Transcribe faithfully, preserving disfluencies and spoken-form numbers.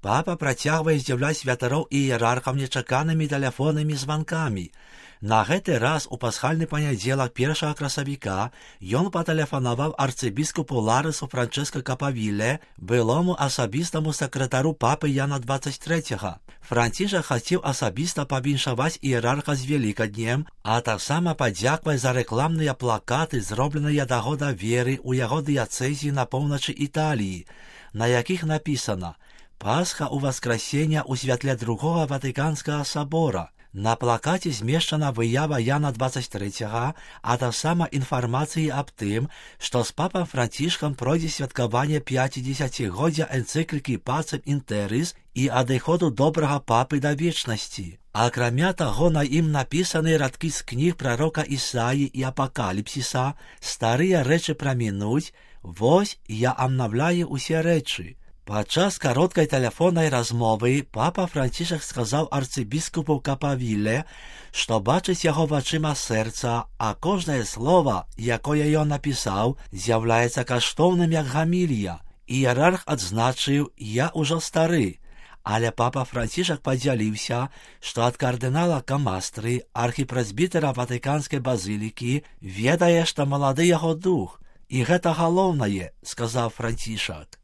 Папа працягвае здзіўляць святароў і іерархаў нечаканымі тэлефоннымі званкамі. На гэты раз у пасхальны панядзелак першага красавіка ён патэлефанаваў арцыбіскупу Ларысу Франчэска Капавіле, былому асабістаму сакратару папы Яна дваццаць трэцяга. Францішак хацеў асабіста павіншаваць іерарха з Велікаднем, а таксама падзякваць за рэкламныя плакаты, зробленыя да года веры ў яго дыяцэзіі на поўначы Італіі, на якіх напісана «Пасха у Васкрасення ў святле другога Ватыканскага сабора». На плакаце змешчана выява Яна дваццаць трэцяга, а таксама інфармацыі аб тым, што з папам Францішкам пройдзе святкаванне пяцідзесяцігоддзя энцыклікі Пацем ін Тэрыс і адыходу добрага папы да вечнасці. Акрамя таго, на ім напісаны радкі з кніг прарока Ісаі і Апакаліпсіса, старыя рэчы прамінуць, вось я амнаўляю усе рэчы. Падчас кароткай тэлефоннай размовы папа Францішак сказаў арцыбіскупу Капавіле, што бачыць яго вачыма сэрца, а кожнае слова, якое ён напісаў, з'яўляецца каштоўным як гамілія. Іерарх адзначыў, я ўжо стары, але папа Францішак падзяліўся, што ад кардынала Камастры, архіпрэзбітэра Ватыканскай базілікі, ведае, што малады яго дух. І гэта галоўнае, сказаў Францішак.